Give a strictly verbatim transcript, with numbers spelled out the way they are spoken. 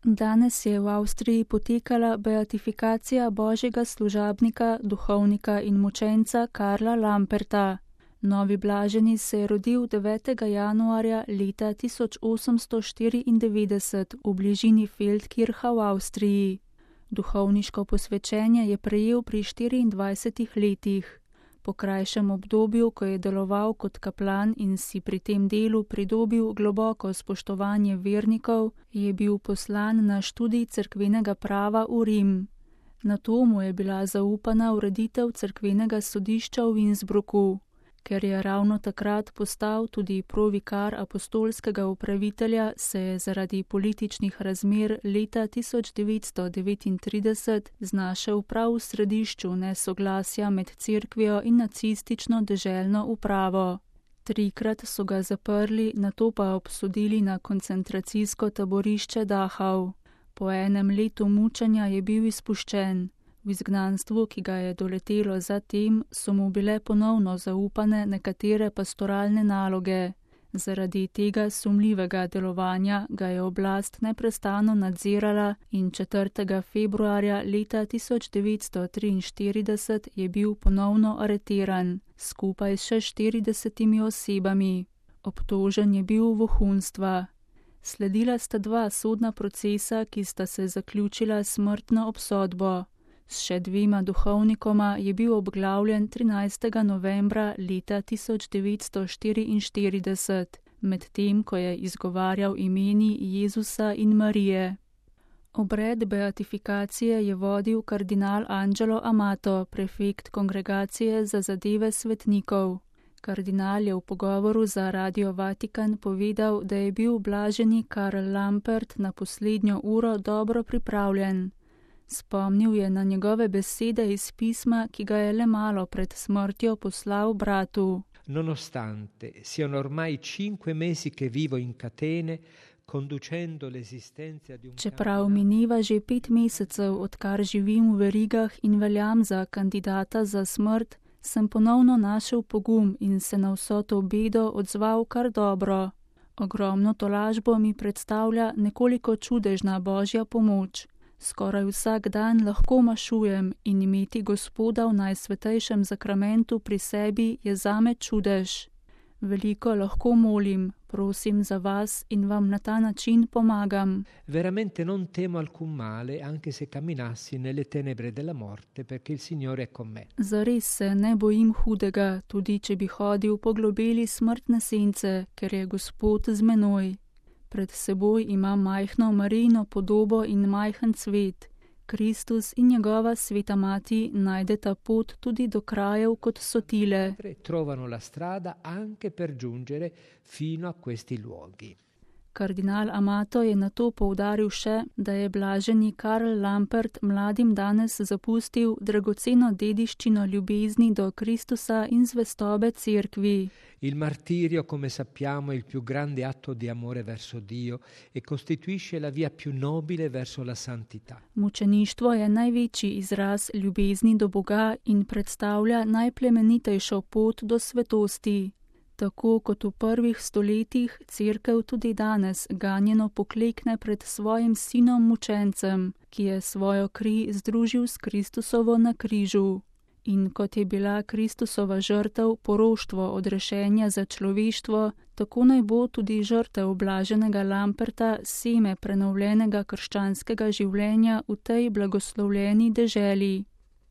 Danes je v Avstriji potekala beatifikacija božjega služabnika, duhovnika in mučenca Karla Lamperta. Novi blaženi se je rodil devetega januarja leta tisoč osemsto štiriindevetdeset v bližini Feldkircha v Avstriji. Duhovniško posvečenje je prejel pri štiriindvajsetih letih. Po krajšem obdobju, ko je deloval kot kaplan in si pri tem delu pridobil globoko spoštovanje vernikov, je bil poslan na študij cerkvenega prava v Rim. Nato mu je bila zaupana ureditev cerkvenega sodišča v Innsbrucku. Ker je ravno takrat postal tudi provikar apostolskega upravitelja, se je zaradi političnih razmer leta tisoč devetsto devetintrideset znašel prav v središču nesoglasja med cerkvijo in nacistično deželno upravo. Trikrat so ga zaprli, nato pa obsodili na koncentracijsko taborišče Dachau. Po enem letu mučenja je bil izpuščen. V izgnanstvu, ki ga je doletelo zatem, so mu bile ponovno zaupane nekatere pastoralne naloge. Zaradi tega sumljivega delovanja ga je oblast neprestano nadzirala in četrtega februarja leta tisoč devetsto triinštirideset je bil ponovno areteran, skupaj s še štiridesetimi osebami. Obtožen je bil vohunstva. Sledila sta dva sodna procesa, ki sta se zaključila s smrtno obsodbo. S še dvema duhovnikoma je bil obglavljen trinajstega novembra leta tisoč devetsto štiriinštirideset, medtem ko je izgovarjal imeni Jezusa in Marije. Obred beatifikacije je vodil kardinal Angelo Amato, prefekt Kongregacije za zadeve svetnikov. Kardinal je v pogovoru za Radio Vatikan povedal, da je bil blaženi Karl Lampert na poslednjo uro dobro pripravljen. Spomnil je na njegove besede iz pisma, ki ga je le malo pred smrtjo poslal bratu. Nonostante siano ormai cinque mesi che vivo in catene, conducendo l'esistenza di un Čeprav mineva že pet mesecev, odkar živim v verigah in veljam za kandidata za smrt, sem ponovno našel pogum in se na vso to bedo odzval kar dobro. Ogromno tolažbo mi predstavlja nekoliko čudežna božja pomoč. Skoraj vsak dan lahko mašujem in imeti Gospoda v najsvetejšem zakramentu pri sebi je zame čudež. Veliko lahko molim, prosim za vas in vam na ta način pomagam. Veramente non temo alcun male, anche se camminassi nelle tenebre della morte, perché il Signore è con me. Zares se ne bojim hudega, tudi če bi hodil po globeli smrtne sence, ker je Gospod z menoj. Pred seboj ima majhno Marijino podobo in majhen cvet. Kristus in njegova sveta mati najdeta pot tudi do krajev, kot so tile. Trovano la strada anche per giungere fino a questi luoghi. Kardinal Amato je nato poudaril še, da je blaženi Karl Lampert mladim danes zapustil dragoceno dediščino ljubezni do Kristusa in zvestobe cerkvi. Il martirio, come sappiamo, è il più grande atto di amore verso Dio e costituisce la via più nobile verso la santità. Mučeništvo je največji izraz ljubezni do Boga in predstavlja najplemenitejšo pot do svetosti. Tako kot v prvih stoletjih, cerkev tudi danes ganjeno poklekne pred svojim sinom mučencem, ki je svojo kri združil s Kristusovo na križu. In kot je bila Kristusova žrtev poroštvo odrešenja za človeštvo, tako naj bo tudi žrtev blaženega Lamperta seme prenovljenega krščanskega življenja v tej blagoslovljeni deželi.